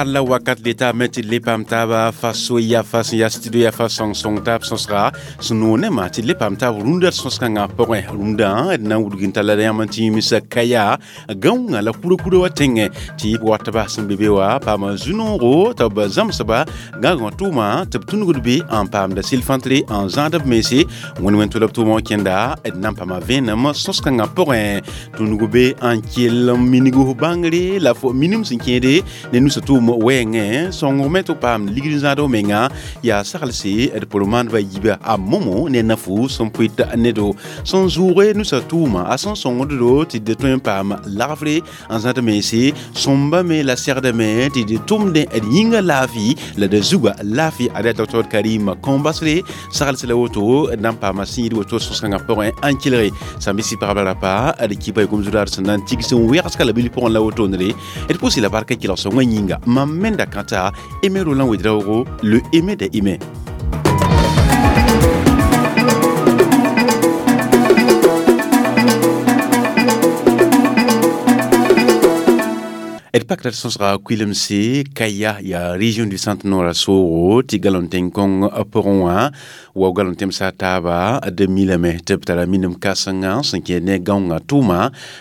Raar la wakat le taabame tɩ d le paam taaba faso ya fa sẽn yaa studio ya fa sõng-sõng taab sõsga sẽn noog nemã tɩ d le paam taab rũndã d sõs-kãngã pʋgẽ. Rũndã d na n wudg n talla yãmb n tɩ yĩms kaya gãoongã la kurã-kurã wa tẽngẽ tɩ b watba sẽn be be wã paama zu-noogo tɩ b zãmsba gãagã tʋʋma tɩ b tũnugd be n paamda sɩl-fãntre n zãad b mense. Wẽn-wẽn tʋ la b tʋʋmã wã kẽnda d na n paama vẽenem sõs-kãngã pʋgẽ tũnug be n kell n minig f bãngre la f minim sẽn kẽede ne nusa tʋʋm wɛɛngẽ sõngme tɩ b paam ligd n zãad f menga yaa saglse d pʋr maandbã yiiba a momo ne nafu sẽn pʋɩt nedo sẽn zʋʋge nusa tʋʋma a sẽn sõngd-do tɩ d tõe n paam lagfre n zãd mense sõmbame la segdame tɩ d tʋmdẽ d yĩnga laafɩ la d zuga laafɩ. Ada Dr Karim Kõmbasre saglse la woto d na n paama sĩid woto sõs-kãngã pʋgẽ n kelge sãmb-sɩ pagba rapa d kipa gom zudaar sẽn na n tigs n wɛgska la bil pʋgẽ la wotondre d pʋsɩ la barka kelg sõngã yĩnga mam menda kãta Aimé Roland Ouédraogo, le Aimé des Aimés. D pakra sõsga kuilemse Kaya yaa région du centre nord soogo tɩ galon tẽn-kõng pʋgẽ wã wa galon tẽmsa taaba d milame tɩ b tara minim kãsenga sẽn kẽ ne gãongã tʋʋma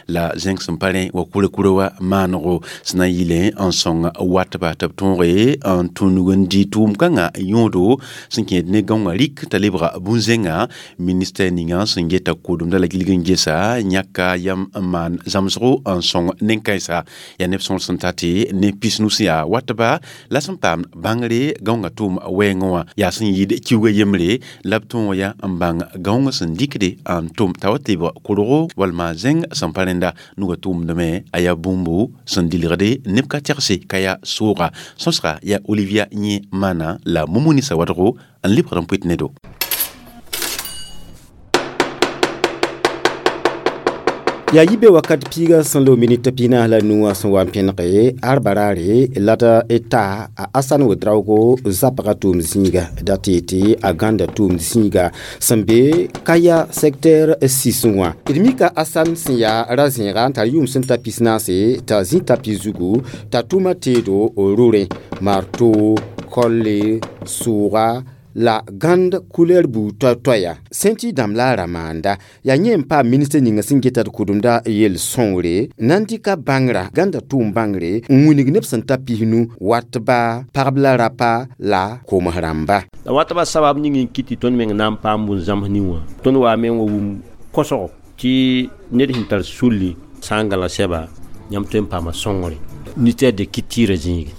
la zẽng sẽn pa rẽ wa kurã-kurã wa maanego sẽn na n yɩle n sõng watba tɩ b tõoge n tũnug n dɩ tʋʋm-kãngã yõodo sẽn kẽed ne gãongã rik t'a lebga bũn-zẽnga. Ministɛr ninga sẽn geta kʋʋdemda la gilg n gesa yãka yam n maan zãmsgo n sõng nen-kãensa yaa neb sõor sẽn ta tɩ ne pisnu sẽn yaa watba la sẽn paam bãngre gãongã tʋʋm wɛɛngẽ wã yaa sẽn yɩɩd kiuga yembre la b tõog ya n bãng gãongã sẽn dɩkde n tʋm t'a wa tɩ b korgo walma zẽng sẽn pa rẽnda nuga tʋʋmdame a yaa bũmbu sẽn dilgde neb ka tɛgse ka yaa sooga. Sõsga yaa Olivia Yẽ maana la Mumuni Sawadgo n lebgd n pʋɩt nedo. Yaa yibe wakat piiga sẽn loog minit piinaas la nu wã sẽn wa n pẽnege arbaraare la d ta a Asan Ouédraogo zapga tʋʋm zĩiga da tɩ tɩ a gãnda tʋʋm zĩiga sẽn be Kaya secteur 6 wã. D mika Asan sẽn yaa ra-zẽega n tar yʋʋm sẽn ta pisnaase t'a zĩ tapi zugu t'a tʋma teedo rorẽ marto kolle sʋʋga la gãnd couleur buud toay-toaya sẽn tɩ dãmb la a ra maanda yaa yẽ n paam ministr ninga sẽn geta d kʋdemda yel-sõngre na n dɩka bãngrã gãnda tʋʋm bãngre n wilg neb sẽn ta pisnu watba pagb la rapa la koms rãmba. La watba sabab ning n kɩt tɩ tõnd meng na n paam bũn-zãms ning wã tõnd waa meng wa wum kosgo tɩ ned sẽn tar sulli sã n gãla sɛba yãmb tõe n paama sõngre ministère de culture zĩige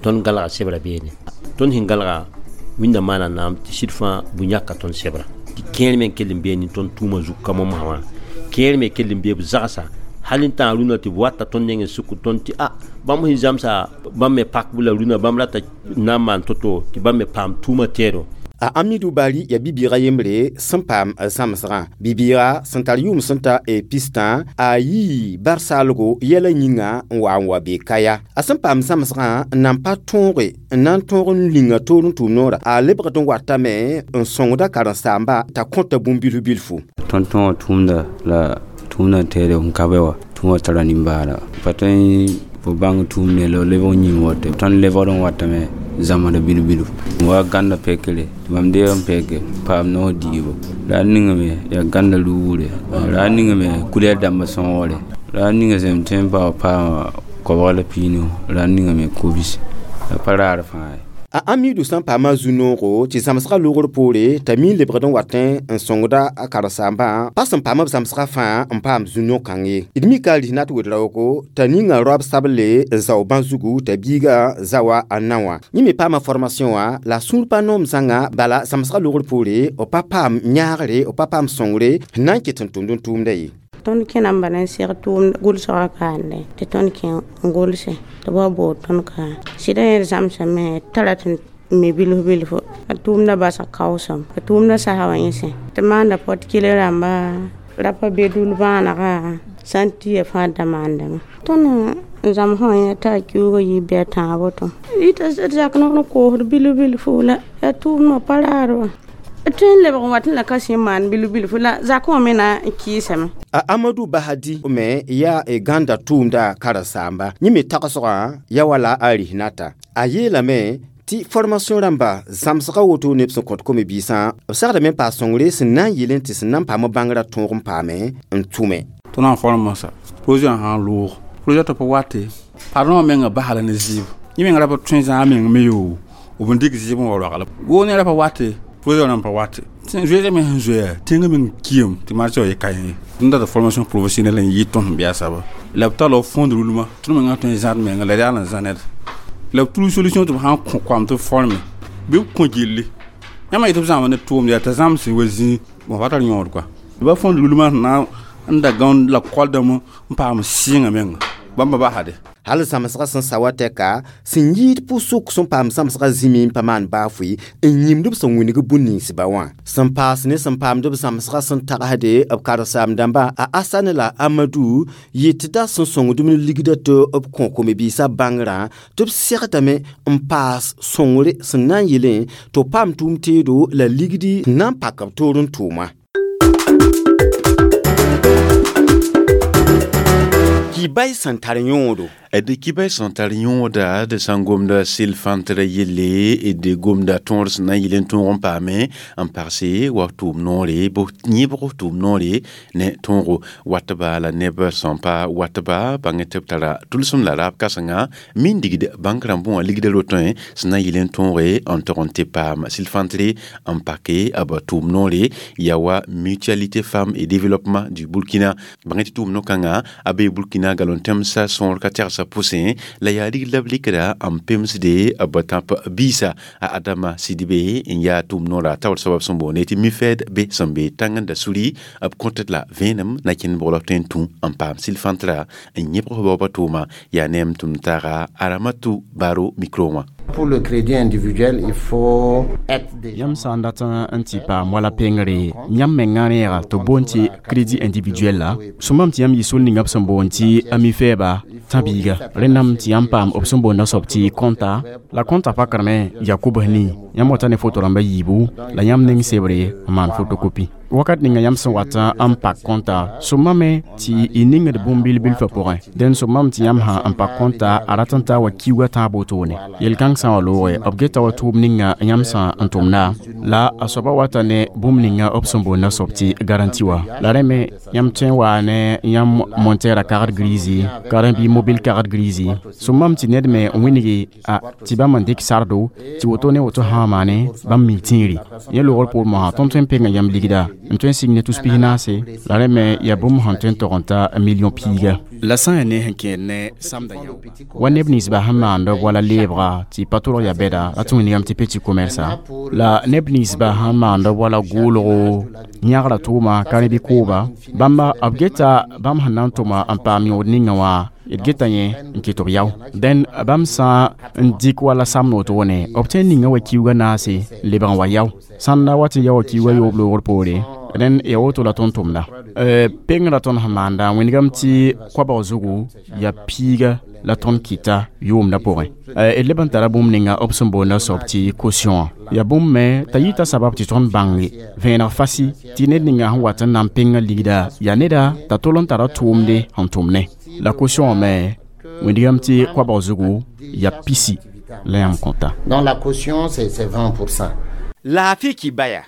tõnd galga sebra beene tõnd sẽn galga wĩnda maana naam tɩ sɩd fãa bũ-yãka tõnd sebra tɩ kẽer me n kell n bee ne tõnd tʋʋmã zug ka momsã wã kẽer me kell n bee b zagsa hal n tãag rũnã tɩ b wata tõnd neng n sʋk tõnd tɩ a bãmb sẽn zãmsa bãmb me pakb la rũnã bãmb rata na n maan to-to tɩ bãmb me paam tʋʋmã tɛɛdo. A Amidou Bari yaa bi-bɩɩgã yembre sẽn paam zãmsgã bi-bɩɩga sẽn tar yʋʋm sẽn ta pistã a yii bar-saalgo yɛla yĩnga n wa n wa be Kaya. A sẽn paam zãmsgã n nan pa tõoge n na n tõog n linga toor n tʋʋm noora a lebgd n watame n sõngda karen-saamba t'a kõta bũmb bilf bilfu. Tõnd tõoga tʋʋmda la tʋʋmda n teede n ka be wa tʋʋmã tara nimbaara pa tõe fo bãng tʋʋm ne la lebg n yĩng woto tõnd lebgd n watame zãmsd bilf bilf wa gãnda pekre tɩ mam deeg n peke paam noos diibo la a ningame yaa gãnda luugre la a ningame kulɛr dãmbã sõgre la a ninga sẽn tõe n pa paama kobg la piinu la a ningame kobis la pa raar fãa ye. A Amidou sẽn paama zu-noogo tɩ zãmsgã logr poore t'a mi n lebgd n watẽ n sõngda a karen-saambã pa sẽn paam b zãmsgã fãa n paam zu-no-kãng ye. D mika a Risnat Ouédraogo t'a ninga roab sable n zao bã zugu t'a biigã zawa a na wã. Yẽ me paama formation wã la sũur pa noom zãnga bala zãmsgã logr poore b pa paam yãagre b pa paam sõngre sẽn na n ket n tʋmd n tʋʋmda ye. Tõnd kẽna n bala n seg tʋʋm gʋlsgã kaande tɩ tõnd kẽ n gʋlse tɩ b wa bood tõnd ka sɩda yẽ zãmsame t'a rat n me bilf bilfu a tʋʋmdã basg kaoosem a tʋʋmdã sasa wã yẽsẽ tɩ maanda pot kɩl rãmba rapa be dul bãanega sã n tɩya fãa da maandame tõnd n zãmsẽ wã yẽ t'a kiuugã yɩ bɩ a tãag woto ɩta d zak noor n koosd bilf bilfu la yaa tʋʋmdã pa raar wã. Tõe n lebg n wat n la ka sẽn maan bilf bilfu la zakẽ wã me na n kɩɩsame. A Amadou Bahadi me yaa y gãnda tʋʋmda karen-saamba yẽ me tagsgã ya wala a Rihnata a yeelame tɩ formation rãmba zãmsga woto neb sẽn kõt kom-biisã b segdame n paas sõngre sẽn na n yɩl n tɩ sẽn na n paam bãngrã tõog n paame n tʋme. Tõnd na n form moasã projet wã sã n loog projet tɩ pa wate pardon wã menga basla ne zɩɩb yẽ meng ra pa tõe zãag meng me yoo b n dɩk zɩɩb n wa roagl woo ne ra pa wate projet wã n pa wate zoeesã me sẽn zoeya tẽngã meng kiam tɩ marché wã ye ka yẽ tõnd dat formation professionnelle n yɩ tõnd sẽn bɩ a saba la b talla b fond roulement tõnd mengã tõe n zãad menga la yaal n zã ned la b tru solution tɩ b sã n kõ koam tɩ b forme bɩ b kõ gilli yãmb yetɩ b zãma ne tʋʋmd yaa t'a zãms wa zĩig bõn pa tar yõod kɔa ba fond roulement sẽn na n da gãond la koaldame n paam sɩɩngã menga bãmba basade. Hal zãmsgã sẽn sa wa tɛka sẽn yɩɩd pʋsʋk sẽn paam zãmsgã zĩmi n pa maan baa fʋɩ n yĩmd b sẽn wĩneg bũn-ninsba wã sẽn paas ne sẽn paamd b zãmsgã sẽn tagsde b karen-saam-dãmbã a Asane la Amadou yetda sẽn sõngd b ne ligda tɩ b kõ kom-biisã bãngrã tɩ b segdame n paas sõngre sẽn na n yelẽ tɩ b paam tʋʋm teedo la ligdi n na n pak b toor n tʋʋma. Kibay sẽn tar yõodo. D kibay sẽn tar yõoda d sã n gomda sɩl-fãntrã yelle d gomda tõor sẽn na n yɩl n tõog n paame n pagse wa tʋʋm noore yẽbg tʋʋm noore ne tõogo watba la neb sẽn pa watba bãng tɩ b tara tʋlsem la raab kãsenga min digd bãnk rãmbẽ wã ligda rotẽ sẽn na n yɩl n tõoge n tog n tɩ paam sɩl-fãntre n pake b tʋʋm noore yaa wa Mutualité Femmes et Développement du Burkina bãng tɩ tʋʋm no-kãngã a bee Burkina galon-tẽmsã sõor ka tɛgsa pʋsẽ la yaa rigd la b rɩkda n pemsde b tãp biisa a Adama Sidibe n yaa tʋʋm noora taoor soab sẽn boonde tɩ MUFED be sẽn be tãng-n-da suri b kõt la vẽenem na kẽnd bʋgl b tõe n tũ n paam sɩl-fãntrã n yẽbg baoobã tʋʋma yaa ne m tʋm taaga Aramatu Baro micro wã. Pour le crédit individuel, il faut être déjà. Yãmb sã n dat n tɩ paam wala pengre yãmb mengã reega tɩ b boond tɩ crédit individuel la sõmam tɩ yãmb yɩ sol ninga b sẽn boond tɩ ami-fɛɛba tã-biiga rẽndame tɩ yãmb paam b sẽn boonda soab tɩ kõnta la kõnta pakrame yaa kobs nii yãmb wata ne foto rãmba yiibu la yãmb neng sebre n maan fotokopi wakat ninga yãmb sẽn wat n pak kõnta sõmame tɩ y ningd bũmb bil-bilfã pʋgẽ dẽn sõmame tɩ yãmb sã n pak kõnta a rat n taa wa kiuugã tãab wotone yel-kãng sã n wa looge b geta wa tʋʋm ninga yãmb sã n tʋmda la a soaba wata ne bũmb ninga b sẽn boonda soab tɩ garanti wa la rẽ me yãmb tõe n waa ne yãmb montɛɛrã kagd grisi karen-bɩ mobile kagd grisi sõmame tɩ ned me n wĩnge a tɩ bãmb n dɩk sardo tɩ woto ne woto sã n maane bãmb mi tĩiri yẽ loogr poor mosã tõnd tõe n penga yãmb ligda n tõe n sig ne tus pis-naase la rẽ me yaa bũmb sẽn tõe n tog n ta million piiga la sã n yaa ne sẽn kẽed ne samda yao wa neb ninsba sẽn maand b wala leebga tɩ pa tʋlg yaa bɛda la tɩ wĩnigame tɩ petit commerce la neb ninsba sẽn maand b wala goolgo yãgra tʋʋma ka rẽ bɩ kooba bãmba b geta bãmb sẽn na n tʋma n paam yõod ninga wã d geta yẽ n kɩt b yao dẽn bãmb sã n dɩk wala samd wotone b tõe n ninga wa kiuugã naase n lebg n wa yao sãn da wa tɩ yao wa kiuugã yoob loogr poore dẽn ya woto la tõnd tʋmda pengrã tõnd sẽn maanda wĩnigame tɩ koabg zugu yaa piiga la tõnd kɩta yʋʋmdã pʋgẽ d leb n tara bũmb ninga b sẽn boonda soab tɩ caution wã yaa bũmb me t'a yita sabab tɩ tõnd bãnge vẽeneg fasi tɩ ned ninga sẽn wat n na n penga ligda yaa neda t'a tol n tara tʋʋmde sẽn tʋm ne la caution wã me wĩnigame tɩ koabg zugu yaa pisi la yãmb kõta. Dans la caution, c'est 20%. Laafɩ kibaya.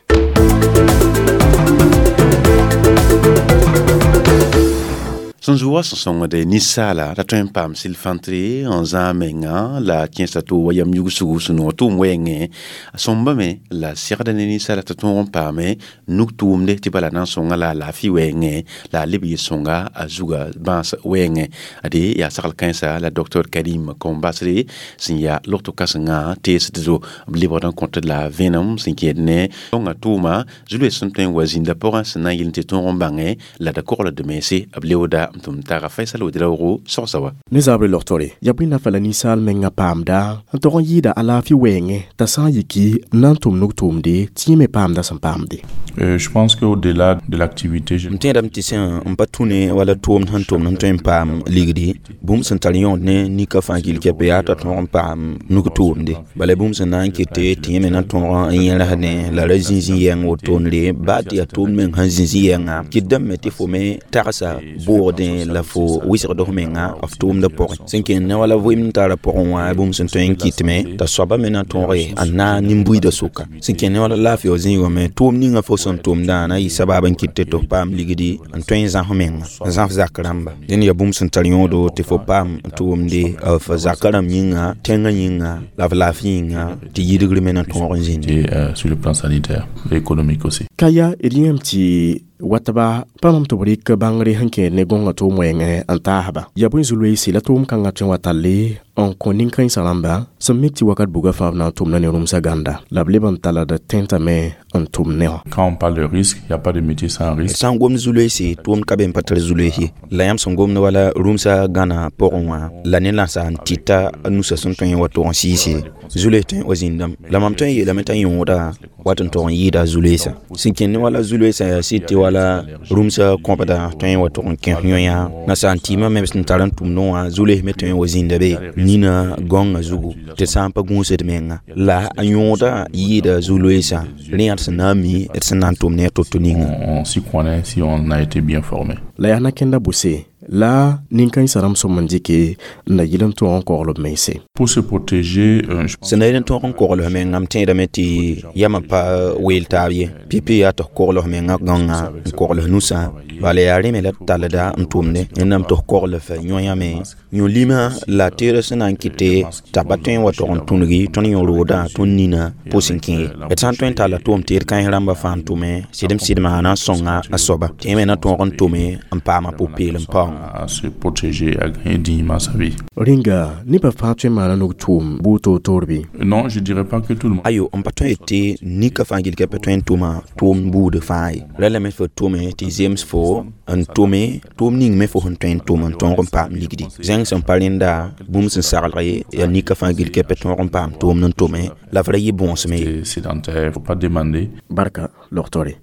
Sẽn zu wa sẽn sõngde ninsaala t'a tõe n paam sɩl-fãntre n zãag menga la kẽesa to wa yam yugsugu sẽn noog tʋʋm wɛɛngẽ a sõmbame la segda ne ninsaala t'a tõog n paame nug tʋʋmde tɩ bala na n sõnga la a laafɩ wɛɛngẽ la a leb yɩ sõnga a zuga bãas wɛɛngẽ ade yaa sagl kãensa la docteur Karim Kombasre sẽn yaa logto kãsenga teesd zo b lebgd n kõt la vẽenem sẽn kẽed ne sõnga tʋʋma zu-loees sẽn tõe n wa zĩnda pʋgẽ sẽn na n yɩl tɩ tõog n bãngẽ la da kogl d mense b leooda n tʋm taaga Faisal Ouedraogo sogsa wa. Ne zaabre logtore yaa bõe nafa la ninsaal menga paamda n tog n yɩɩda alaafɩ wɛɛngẽ t'a sã n yiki n na n tʋm nug-tʋʋmde tɩ yẽ me paamda sẽn paamde. Je pense qu'au-delà de l'activité, m tẽedame tɩ sẽn n pa tũ ne wala tʋʋmd sẽn tʋmd n tõe n paam ligdi, bũmb sẽn tar yõod ne nika fãa gill kɛpɛ yaa t'a tõog n paam nug-tʋʋmde. Bala bũmb sẽn na n kete tɩ yẽ me na tõog n yẽrsdẽ la ra zĩ-zĩ yɛng wotone baa tɩ yaa tʋʋmd meng sẽn zĩ-zĩ yɛnga kɩtdame tɩ fo me tagsa bʋʋgdẽ la fo wɩsgd f menga f tʋʋmdã pʋgẽ. Sẽn kẽnd ne wala vɩɩm n tara pʋgẽ wã bũmb sẽn tõe n kɩtme t'a soaba me na tõoge a na nin-buiidã sʋka. Sẽn kẽnd ne wala laafɩ wã zĩigã me tʋʋmd ninga fo sẽn tʋmdã na yɩ sabab n kɩt tɩ f paam ligdi n tõe n zãs menga n zãs zak rãmba. Dẽnd yaa bũmb sẽn tar yõodo tɩ fo paam tʋʋmde f zakã rãmb yĩnga, tẽngã yĩnga la f laafɩ yĩnga tɩ yidgr me na tõog n zĩnde. Sur le plan sanitaire et économique aussi. Ka yaa d yẽem tɩ watba pa mam tɩ b rɩk bãngre sẽn kẽed ne gõngã tʋʋm wɛɛngẽ n taasba. Yaa bõe zu-loeese la tʋʋm kãngã tõe n wa talle n kõ nin-kãensã rãmba sẽn mik tɩ wakat buga fãa b na n tʋmda ne rũmsã gãnda la b leb n talld tẽntame n tʋm ne wã. Quand on parle de risque, il n'y a pas de métier sans risque. Sã n gomd zu-loeese tʋʋmd ka be n pa tar zu-loees ye. La yãmb sẽn gomd wala rũmsã gãnã pʋgẽ wã la ne lãsa n tɩta a nusã sẽn tõe n wa tog n sɩɩse zu-loees tõe n wa zĩndame. La mam tõe n yeelame t'a yõoda wat n tog n yɩɩda zu-loeesã. Sẽn kẽnd ne wala zu-loeesã yaa sɩd tɩ wala rũmsã kõbda tõe n wa tog n kẽs yõ-yã nasaar n tɩɩmã me sẽn tar n tʋmdẽ wã zu-loees me tõe n wa zĩnda be nina gãongã zugu tɩ sã n pa gũusd menga. La a yõoda yɩɩda zu-loeesã rẽ yaa d sẽn na n mi d sẽn na n tʋm ne a to-to ninga. On s'y connaît si on a été bien formé. La yaa na-kẽnda bʋse la nin-kãensã rãmb sõm n dɩke n na yɩl n tõog n kogl b mense. Pour se protéger, sẽn na yɩl n tõog n kogl f menga m tẽedame tɩ yamã pa weel taab ye. Pipi yaa tɩ f kogl f menga gãongã n kogl f nusã bala yaa rẽ me la d tallda n tʋmde wẽnnaam tɩ f kogl f yõ-yã me yõ-limã la teerã sẽn na n kɩte t'a pa tõe n wa tog n tũngi tõnd yõ-roodã tõnd nina pʋs n kẽ ye. D sã n tõe n talla tʋʋm teed kãens rãmbã fãa n tʋme sɩdem-sɩdmã na n sõnga a soaba tɩ yẽ me na tõog n tʋme n paama pʋ-peelem paoongã. À se protéger, à gagner dignement sa vie. Rĩnga nebã fãa tõe n maana nug-tʋʋm buud toor-toor bɩ? Non, je dirais pas que tout le monde. Ayo, n pa tõe tɩ nika fãa gill ka pa tõe n tʋma tʋʋm buud fãa ye. Ra lame fo tʋme tɩ zems fo n tʋme tʋʋm ning me fo sẽn tõe n tʋm n tõog n paam ligdi. Zẽng sẽn pa rẽnda bũmb sẽn saglg ye yaa nika fãa gill ka pa tõog n paam tʋʋmd n tʋme la f ra yɩ bõosem ye. Sédentaire, faut pas demander. Barka logtore.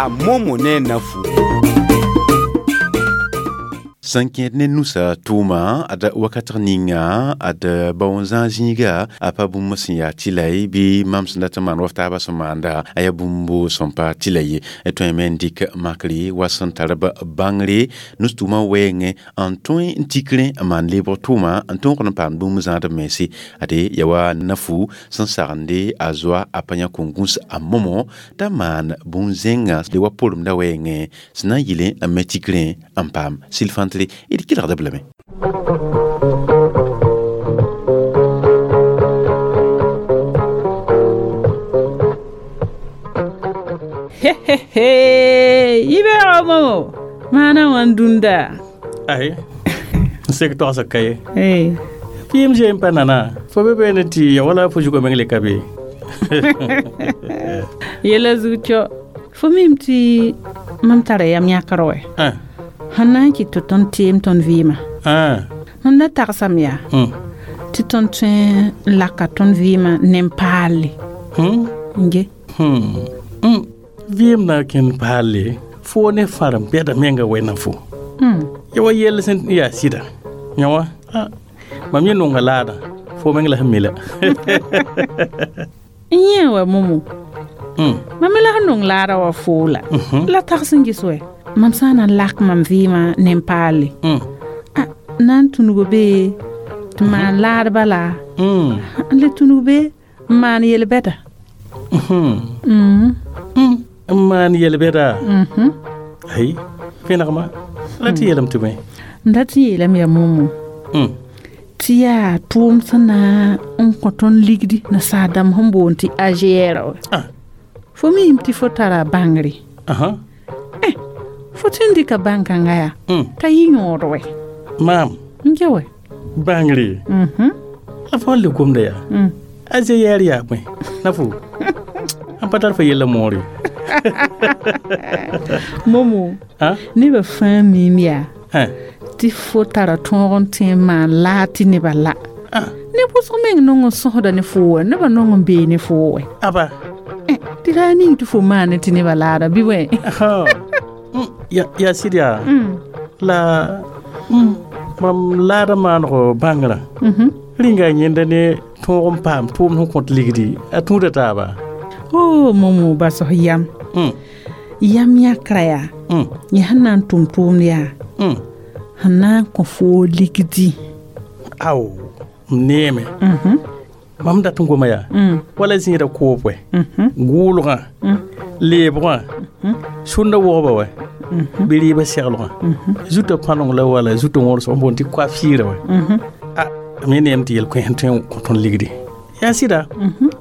A momo ne nafu. Sẽn kẽed ne nusã tʋʋma ad wakat ninga ad baoon-zãag zĩiga a pa bũmb sẽn yaa tɩla ye bɩ mam sẽn dat n maan wa f taabã sẽn maanda a yaa bũmbo sẽn pa tɩla ye. Tõe me n dɩk makre wa sẽn tar b bãngre nus-tʋʋmã wɛɛngẽ n tõe n tik rẽ n maan lebg tʋʋma n tõog n paam bũmb zãadb mense. Ade yaa wa nafu sẽn sagende a zoa a pa yã kõn-gũs a momo t'a maan bũn-zẽngã le wa poremdã wɛɛngẽ sẽn na n yɩlẽ n me tik rẽ n paam sɩl-fãntre d kelgda b lame. Yibeoogã momo maana wãn dũnda. Ay, n sek togsg ka ye. Pɩɩm zeem pa nana fo be beene tɩ ya wala fo zugã meng le ka be. Yɛla zug tɔ fo mim tɩ mam tara yam yãkr wɛ. Sẽn na n kɩt tɩ tõnd teem tõnd vɩɩmã. Mam da tagsame yaa tɩ tõnd tõe n laka tõnd vɩɩmã ne n paalle. N ge. Vɩɩm na kẽnd paalle fo ne fãrem bɛda menga wɛna fo. Ya wa yell sẽn yaa sɩda yã wã mam yẽ nonga laadã fo meng la sẽn mi la. N yẽ wa momo. Mam me la sẽn nong laadã wa foo la. La tags n ges wɛ. Mam sã n na n lak mam vɩɩmã ne n paalle. A na n tũnug be tɩ maan laad bala n le tũnug be n maan yel-bɛda. N maan yel-bɛda? Ay, vẽnegmã la tɩ yeelame tɩ bõe? M dat n yeelame yaa momo tɩ yaa tʋʋm sẽn na n kõ tõnd ligdi nasaar dãmb sẽn boond tɩ AGR wɛ. Fo miime tɩ fo tara bãngre. Fo tɩ n dɩka bãn-kãngã yaa t'a yɩ yõod wɛ. Maam. N ge wɛ. Bãngre. La fo le gomda yaa. AGR yaa bõe? Na fo. N pa tar fo yella moore. Momo nebã fãa miime yaa tɩ fo tara tõog n tẽ n maan laa tɩ nebã la neb wʋsg meng nong n sõsda ne fo wɛ nebã nong n bee ne fo wɛ aba tɩ raa ning tɩ fo maane tɩ nebã laada bɩ wɛ yaa sɩd yaa la mam laada maanego bãngrã rĩnga yẽnda ne tõog n paam tʋʋmd sẽn kõt ligdi a tũuda taaba o momo basg yam yam yãkra yaa yẽ sẽn na n tʋm tʋʋmd yaa sẽn na n kõ foo ligdi ao m neeme mam dat n goma yaa wala zĩida koob wɛ gʋʋlgã leebgã sũnda wogba wɛ bɩ rɩɩbã seglgã zutã pãneng la wala zutã wõrs n boond tɩ coiffure wɛ a m yẽ neem tɩ yel-koẽ sẽn tõe n kõ tõnd ligdi yaa sɩda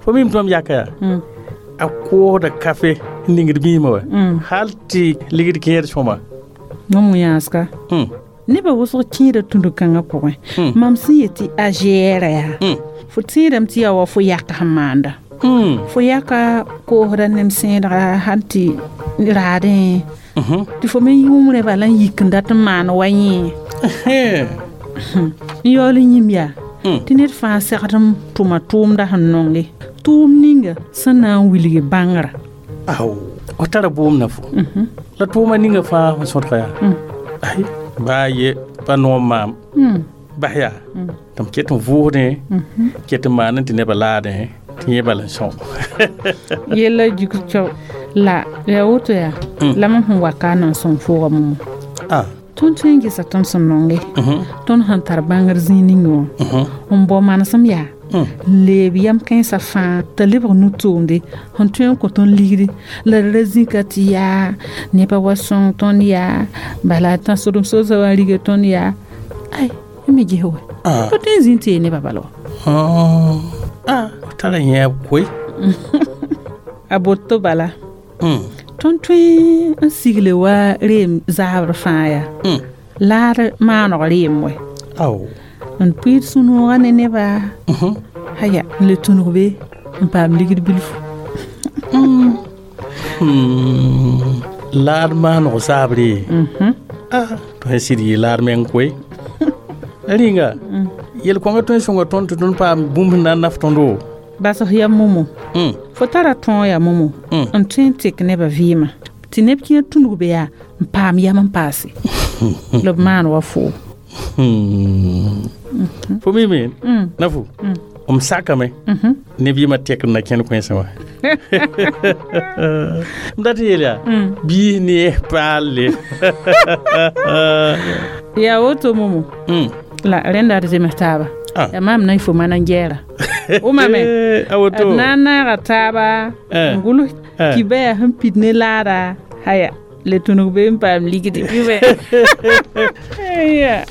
fo mim tɩ mam yaka yaa a koosda kafe n ningd biimã wɛ hal tɩ ligd kẽed sõma mam yãaska nebã wʋsg kẽeda tũud-kãngã pʋgẽ mam sẽn yet tɩ a gɛɛra yaa fo tẽedame tɩ yaa wa fo yak sẽn maanda fo yaka koosda nem sẽedga sãn tɩ raadẽ tɩ fo me yũumrẽ bala n yik n dat n maan wa yẽ n yaool n yĩm yaa tɩ ned fãa segd n tʋma tʋʋmda sẽn nonge tʋʋm ninga sẽn na n wilg bãngrã ao f tara bʋʋm na fo la tʋʋma ninga fãa sẽn sõdga yaa ay baa ye pa noom maam bas yaa tɩ m ket n vʋʋsdẽ ket n maan tɩ nebã laadẽ tɩ yẽ bala n sõg yella juk cao la yaa woto yaa la mam sẽn wa ka n na n sõng fooga momo tõnd tõe n gesa tõnd sẽn nonge tõnd sẽn tar bãngr zĩig ning wã n bao manesem yaa n leeb yam kãensã fãa t'a lebg nu-tʋʋmde sẽn tõe n kõ tõnd ligdi la d ra zĩka tɩ yaa nebã wa sõng tõnd yaa bala tãsdem soosã wã n riga tõnd yaa ay me ges wɛ pa tõe n zĩ n tɩ yee nebã bala wa f tara yẽeb koe a boto bala tõnd tõe n sigle wa reem zaabr fãa yaa laad maaneg reem wɛ n pʋɩɩd sũ-noogã ne neba haya n le tũnug be n paam ligd bilfu laad maaneg zaabre tõe n sɩd yɩ laad meng koe rĩnga yel-kõnga tõe n sõnga tõnd tɩ tõnd paam bũmb sẽn na n naf tõndo basg ya momo fo tara tõog yaa momo n tõe n tek nebã vɩɩmã tɩ neb kẽer tũnug be yaa n paam yam n paase la b maan wa foo fo mime na fo m sakame neb yɩmã tekd na kẽnd kõensẽ wã m dat n yeel yaa biis ne paalle yaa woto momo la rẽnda d zems taaba yaa maam na y fo mana n gɛɛra wʋmame d na n naaga taaba n gʋls kibã yaa sẽn pid ne laada haya le tũnug be n paam ligdi bɩ ya.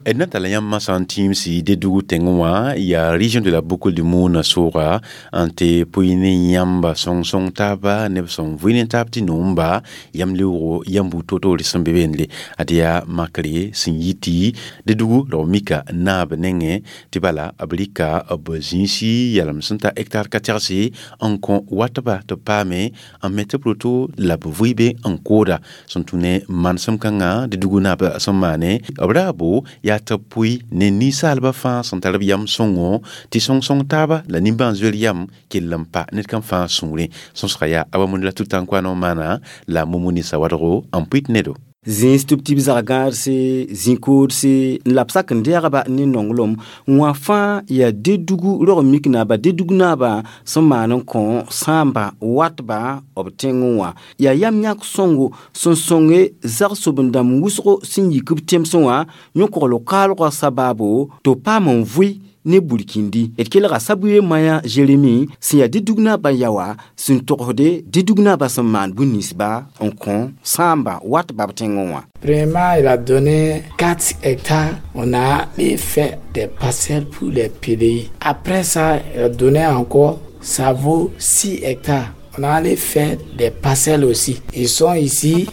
D na tala yãmb masã n tĩimsi Dédougou tẽngẽ wã yaa région de la Boucle du Moun sʋʋga n tɩ pʋɩ ne yãmba sõng-sõng taaba neb sẽn vʋɩ ne taab tɩ noomba yam leoogo yãmb buud toor-toore sẽn be bende ad yaa makre sẽn yi tɩ Dédougou la b mika naab nengẽ tɩ bala b rɩka b zĩisi yalem sẽn ta hectare ka tɛgse n kõ watba tɩ b paame n me tɩ b roto la b vʋɩ-be n kooda sẽn tũ ne manesem kãngã Dédougou naab sẽn maane b raabo yaa tɩ b pʋɩ ne ninsaalbã fãa sẽn tar b yam sõngo tɩ sõng-sõng taaba la nimbãan-zoeer yam kell n pa ned kam fãa sũurẽ sõsga yaa Abamund la Tutankouano maana la Momoni Sawadgo n pʋɩt nedo. Zĩis tɩ b tɩ b zag-gãadse zĩ-koodse n la b sak n dɛɛgba ne nonglem wã fãa yaa Dédougou rog mik naaba Dédougou naabã sẽn maan n kõ sãamba watba b tẽngẽ wã yaa yam yãk sõngo sẽn sõnge zag-soben-dãmb wʋsgo sẽn yik b tẽmsẽ wã yõ-kogl kaalgã sabaabo tɩ b paam n vʋɩ ne burkindi d kelga Sabouye Maya Jérémy sẽn yaa Dédougou naabã yaoa sẽn togsde Dédougou naabã sẽn maan bũn-ninsba n kõ sãamba watba b tẽngẽ wã. Premièrement, il a donné 4 hectares. On a fait des parcelles pour les PDI. Après ça, il a donné encore, ça vaut 6 hectares. On a allé faire des parcelles aussi. Ils sont ici,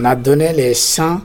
on a donné les champs,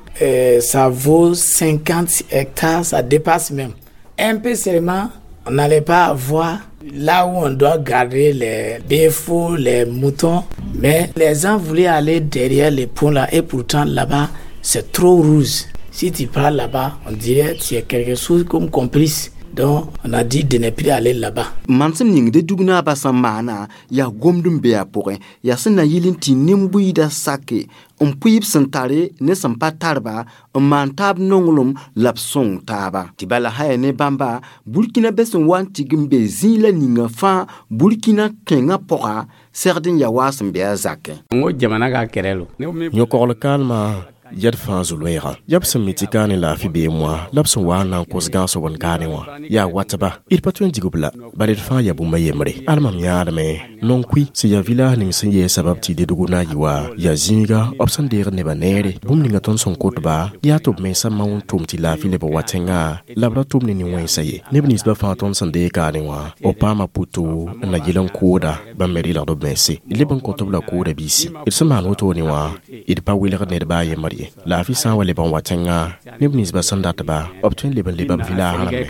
ça vaut 50 hectares, ça dépasse même. Un peu seulement, On n'allait pas avoir là où on doit garder les bœufs, les moutons, mais les gens voulaient aller derrière les ponts là et pourtant là-bas, c'est trop rouge. Si tu pars là-bas, on dirait que tu es quelque chose comme complice. Donc, on a dit de ne plus aller là-bas. Mansem ning de dugna ba sẽn maana yaa gomd n be a pʋgẽ yaa sẽn na yɩl n tɩ nin-buiidã sake n pʋɩ b sẽn tare ne sẽn pa tarba n maan taab nonglem la b sõng taaba tɩ bala sã yaa ne bãmba Burkina be sẽn wa n tig n be zĩig la ninga fãa Burkina tẽngã pʋga segd n ya waa sẽn be a zakẽ. Yõ-kogl kaalmã yɛd fãa zu-loeegã yaa b sẽn mi tɩ kaane laafɩ beem wã la b sẽn wa n na n kos gãosg n kaane wã yaa watba d pa tõe n dig b la bala d fãa yaa bũmb a yembre al mam yãadme non-kui sẽn yaa village ning sẽn yee sabab tɩ Dédougou na n yɩ wa yaa zĩiga b sẽn deegd nebã neere bũmb ninga tõnd sẽn kotba yaa tɩ b mensã mao n tʋm tɩ laafɩ leb n wa tẽngã la b ra tʋm ne nin-wẽnsã ye neb ninsbã fãa tõnd sẽn deeg kaane wã b paama puto n na yɩl n kooda bãmb me rɩlgd b mense d leb n kõt b la kooda biisi d sẽn maan wotone wã d pa welgd ned baa yembr ye laafɩ sã n wa leb n wa tẽngã neb ninsbã sẽn datba b tõe n leb n leba b village rãmbe.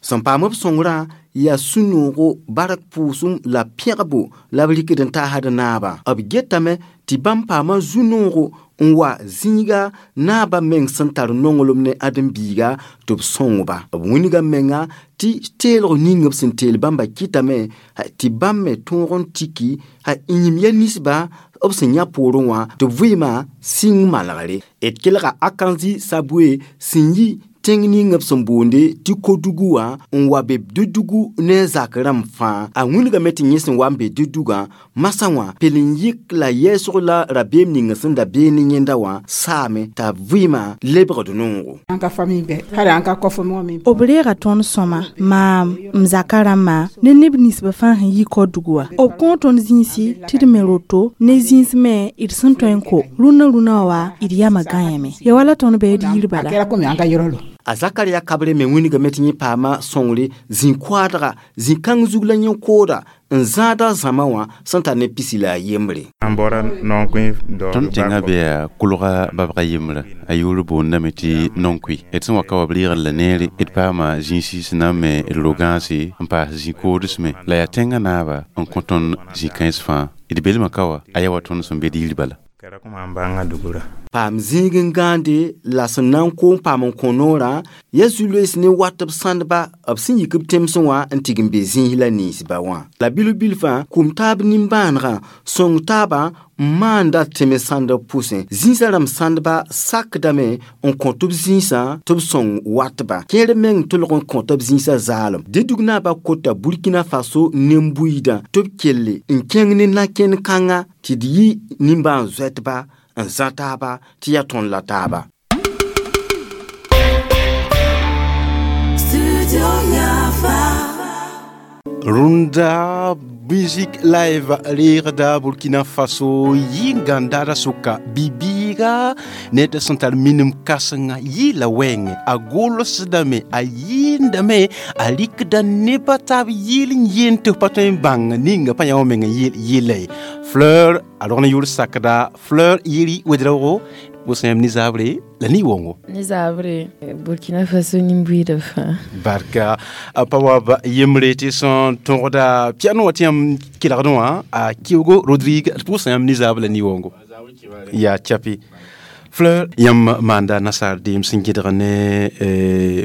Sẽn paam b sõngrã yaa sũ-noogo bark pʋʋsem la pẽgbo la b rɩkd n taasd naabã b getame tɩ bãmb paama zu-noogo n wa zĩiga naabã meng sẽn tar nonglem ne ãdem-biiga tɩ b sõngba b wilga menga tɩ teelg ning b sẽn teel bãmba kɩtame tɩ bãmb me tõog n tiki yĩm ya ninsba b sẽn yã poorẽ wã tɩ b vɩɩmã sɩng malgre d kelga Akanji Sabue sẽn yi tẽng ning b sẽn boonde tɩ Kodugu wã n wa be Dédougou ne zak rãmb fãa a wilgame tɩ yẽ sẽn wa n be Dédougã masã wã pel n yɩk la yɛɛsg la rabeem ning sẽn da bee ne yẽnda wã saame t'a vɩɩmã lebgd noogo. B reega tõnd sõma maam m zaka rãmbã ne neb ninsbã fãa sẽn yi Kodugu wã b kõo tõnd zĩisi tɩ d me roto ne zĩis me d sẽn tõe n ko rũnã rũnã wa d yamã gãyame ya wala tõnd bɩ d yir bala. A Zakaria Kabre me wilgame tɩ yẽ paama sõngre zĩ-koaadga zĩ-kãng zug la yẽ-kooda n zãada zãma wã sẽn tar ne pisi la a yembre. Tõnd tẽngã bea kolga babga yembrã a yʋʋr boondame tɩ non-kui d sẽn wa ka wa b reegd la neere d paama zĩisi sẽn na n me d ro-gãase n paas zĩ-koods me la yaa tẽngã naaba n kõ tõnd zĩ-kãens fãa d belmã ka wa a yaa wa tõnd sẽn be d yir bala. Paam zĩig n gãande la sẽn na n koom paam n kõ noorã yaa zu-loees ne wat b sãndba b sẽn yik b tẽmsẽ wã n tig n be zĩis la ninsba wã la bilf-bilfã kũm taab nimbãanegã sõng taabã n maanda tẽme sãndb pʋsẽ zĩisã rãmb sãndba sakdame n kõt b zĩisã tɩ b sõng watba kẽer meng tʋlg n kõt b zĩisã zaalem Dédougou naabã kota Burkina Faso nin-buiidã tɩ b kelle n kẽng ne na-kẽnd kãnga tɩ d yɩ nimbãan-zoɛtba n zã taaba tɩ yaa tõnd la taaba. Rũndã musique live reegda Burkina Faso yɩ-gãndaadã sʋka bi-biiga ned sẽn tar minim kãsenga yɩɩla wɛɛngẽ a golsdame a yɩɩndame a rɩkda nebã taab yɩɩl n yeen tɩ f pa tõe n bãng ninga pa yã wã meng n yɩla ye Fleur a rog ne yʋʋr sakda Fleur Yeri Ouedraogo pʋsã yãmb ne-zaabre la ne-wongo Ne-zaabre Burkina Faso nin-buiidã fãa barka pa wa b yembre tɩ sẽn tõgda piano wã tɩ yãmb kelgdẽ wã a Kiogo Rodrigue pʋsã yãmb ne-zaab la ne-wongo yaa chapi Fleur yãmb maanda nasaar deem sẽn gẽdg ne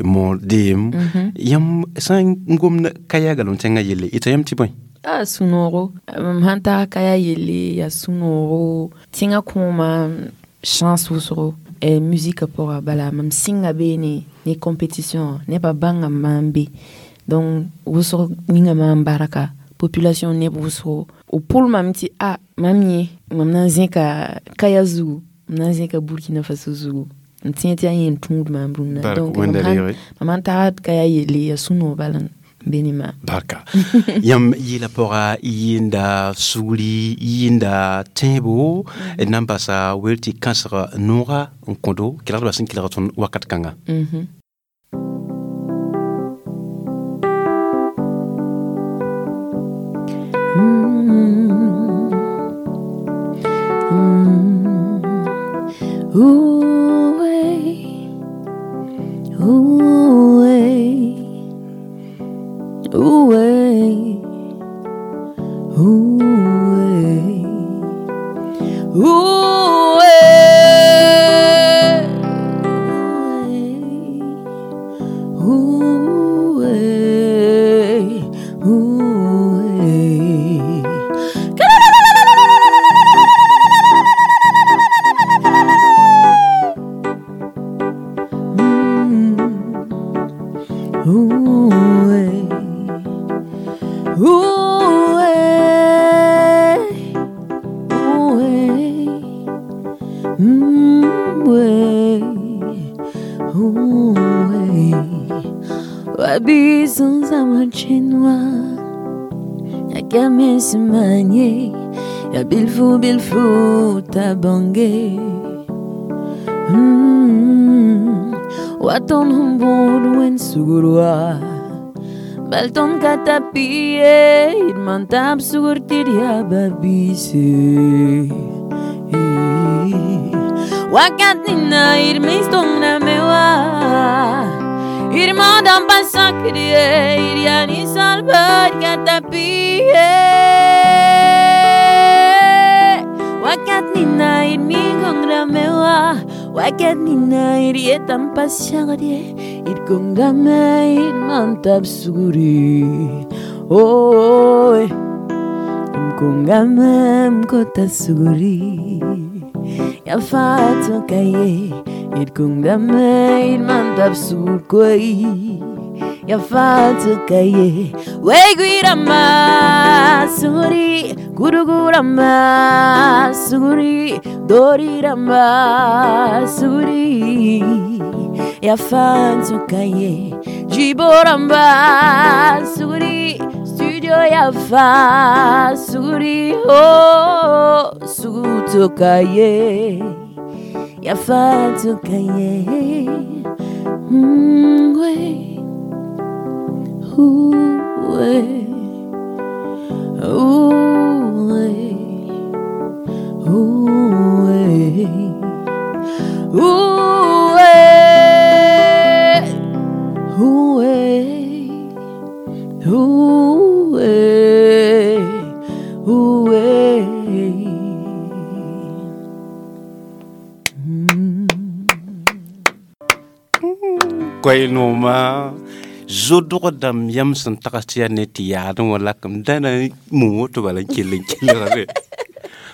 moor deem yãmb sã n gomd kaya galem tẽngã yelle ɩta yãmb tɩ bõe a sũ-noogo mam sãn tag kaya yelle yaa sũ-noogo tẽngã kõoma chance wʋsgo musique pʋga bala mam sɩnga beene ne compétition nebã bãnga maam be donc wʋsg ninga maam barka population neb wʋsgo b pʋl mam tɩ a mam yẽ mam na n zẽka kaya zugu mam na n zẽka Burkina Faso zugu n tẽ tɩ yaa yẽ n tũud maam rũnnã donc mam sãn tagd kaya yelle yaa sũ-noog bala n be ne maam. Barka yãmb yɩɩla pʋga yɩɩnda sugri yɩɩnda tẽebo d na n basa wel tɩ kãsg nooga n kõdo kelgdbã sẽn kelg tõnd wakat kãnga. Ooh, hey. Ooh, eh. Ooh, eh. Ooh, eh. Ooh, eh. Ooh, eh. Ooh, eh. Ooh, eh. Ooh, eh. Ooh, eh. Eh. Ooh, eh. Wabi sans amachenwa Akamesimanye Ya bilfu bilfu tabange. Waton humbun wen sugurwa. Balton katapie Irmantab sugurtiria babise. Wakat nina irmistongna mewa Irmandam pasakrie Iriani salvar katapie Wakat nina irmi mewa Wakat nina irietam pasagrie Irkongame irmantab suguri. Oh, Mkongame mkota suguri. Ya fato kaye Irkongame irmantab suguri Ya fato kaye Weguirama suguri Gurugurama suguri Dorirama suguri Ya fato kaye Jiboramba suguri Studio ya fa suguri Oh suguto kaye Ya fato kaye We Ooh, eh. Ooh, eh. Ooh, eh. Ooh, eh. Ooh, eh. Ooh, eh. Ooh, eh. Koy nooma zodg dãmb yam sẽn tags tɩ yaa ne tɩ yaadẽ wã lakm dãna mum woto bala n kell n kelgre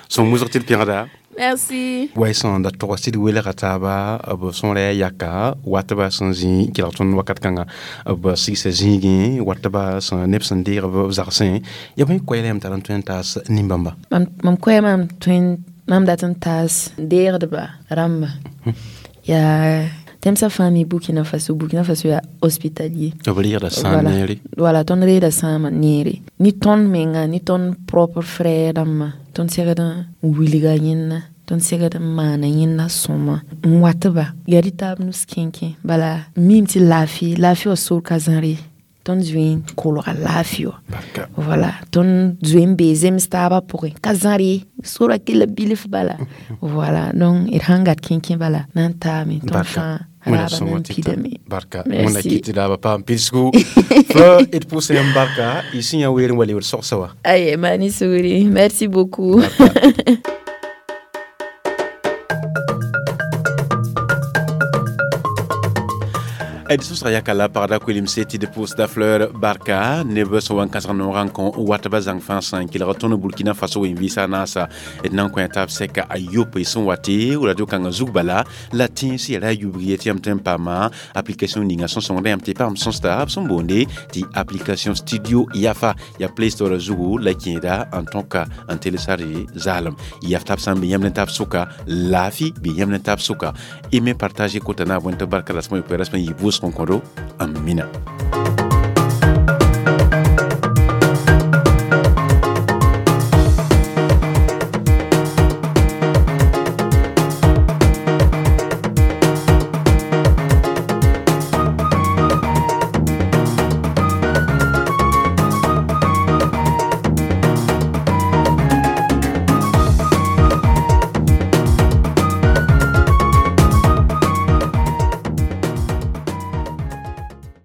sõn musg tɩ d pẽgda. Merci. Way sẽn da togs tɩ d welga taaba b sõora yaa yaka watba sẽn zĩ kelg tõnd wakat kãnga b sigsa zĩigẽ watba sẽn neb sẽn deeg b zagsẽ ya bõe koɛɛla yãmb tar n tõe n taas nin-bãmba. Mam koɛɛ mam tõe mam dat n taas deegdba rãmba yaa tẽmsã fãa mi Burkina Faso. Burkina Faso yaa hospitalier. B reegda sãam neere. Voilà, tõnd reeda sãamã neere. Ni tõnd menga ni tõnd propre frère dãmbã tõnd segd n wilga yẽnda tõnd segd n maana yẽnda sõma n watba yaa rɩ taab nus kẽnkẽ bala mim tɩ laafɩ laafɩ wã sor ka zãre tõnd zoe n kolga laafɩ wã voilà, tõnd zoe n bee zems taabã pʋgẽ ka zãre sora kella bilf bala. Voilà, donc d sãn gat kẽnkẽ bala na n taame tõnd fãa raaba na n pidame. Barka wẽnna kɩt tɩ raaba paam pidsgu fleur d pʋʋsa yãmb barka y sẽn yã weer n wa lebd sogsa wa. Aye, mani sugri, merci beaucoup. D sõsga yaka la pagda koelemse tɩ d pʋʋsda fleur barka neb sẽn wa n kãsg noogã n kõ watba zãng fãa sã n kelg tõnd Burkina Faso wen-vɩɩsã naasa d na n kõ taab sɛka a yopoe sẽn wa tɩ radio kãngã zug bala la tẽns yaa ra yubg ye tɩ yãmb tõe n paama application ninga sẽn sõngda yãmb tɩ paam sõsda b sẽn boonde tɩ application Studio Yafa ya Play Store zugu la kẽeda n tõka n télécharge zaalem yaf tab sã n be yãmb ne tab sʋka laafi bɩ yãmb ne tab sʋka y me partager kota na bõe tɩ barka rasmã yopoe rasmã yɩ vʋʋsg n kõ do n mina.